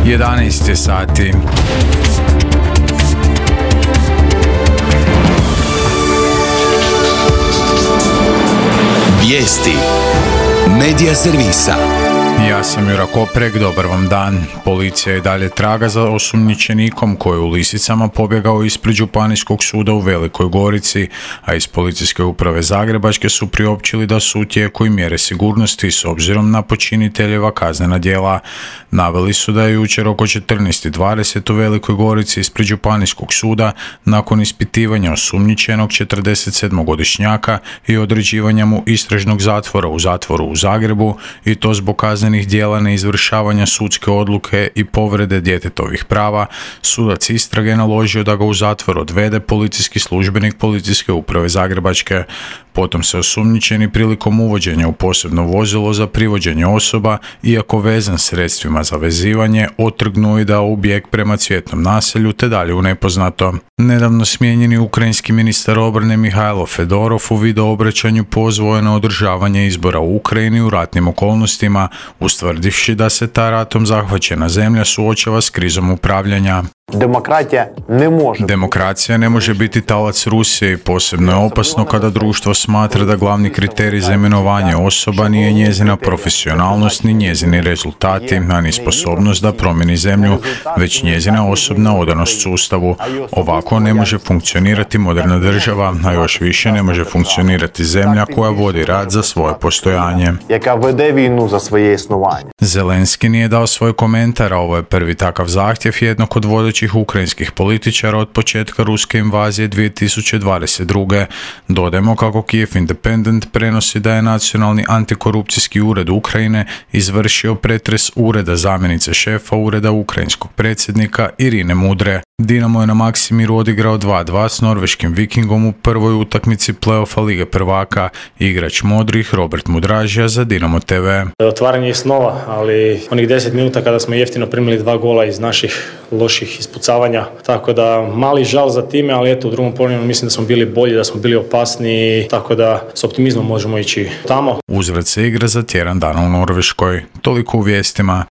11 sati. Vijesti Medija servisa. Ja sam Jura Koprek, dobar vam dan. Policija je dalje traga za osumnjičenikom koji je u Lisicama pobjegao ispred Županijskog suda u Velikoj Gorici, a iz Policijske uprave Zagrebačke su priopćili da su u tijeku i mjere sigurnosti s obzirom na počiniteljeva kaznena djela. Naveli su da je jučer oko 14:20 u Velikoj Gorici ispred Županijskog suda nakon ispitivanja osumnjičenog 47-godišnjaka i određivanja mu istražnog zatvora u zatvoru u Zagrebu, i to zbog kaznenih djela neizvršavanja sudske odluke i povrede djetetovih prava, sudac istrage naložio da ga u zatvor odvede policijski službenik Policijske uprave Zagrebačke. Potom se osumnjičeni prilikom uvođenja u posebno vozilo za privođenje osoba, iako vezan sredstvima za vezivanje, otrgnuo i dao u bijeg prema Cvjetnom naselju te dalje u nepoznato. Nedavno smijenjeni ukrajinski ministar obrane Mihajlo Fedorov u video obraćanju pozvao je na održavanje izbora u Ukrajini u ratnim okolnostima, ustvrdivši da se ta ratom zahvaćena zemlja suočava s krizom upravljanja. Demokracija ne može biti talac Rusije i posebno je opasno kada društvo smatra da glavni kriterij za imenovanje osoba nije njezina profesionalnost ni njezini rezultati, a ni sposobnost da promijeni zemlju, već njezina osobna odanost sustavu. Ovako ne može funkcionirati moderna država, a još više ne može funkcionirati zemlja koja vodi rat za svoje postojanje. Zelenski nije dao svoj komentar, a ovo je prvi takav zahtjev jednog od vodećih ukrajinskih političara od početka ruske invazije 2022. Dodajmo kako Kiev Independent prenosi da je Nacionalni antikorupcijski ured Ukrajine izvršio pretres ureda zamjenice šefa ureda ukrajinskog predsjednika Irine Mudre. Dinamo je na Maksimiru odigrao 2:2 s norveškim Vikingom u prvoj utakmici play-offa Lige prvaka. Igrač modrih Robert Mudražija za Dinamo TV. Otvaranje je snova, ali onih 10 minuta kada smo jeftino primili 2 gola iz naših loših ispucavanja, tako da mali žal za time, ali eto u drugom poluvremenu mislim da smo bili bolji, da smo bili opasniji, tako da s optimizmom možemo ići tamo. Uzvrat se igra za tjedan dana u Norveškoj. Toliko u vijestima.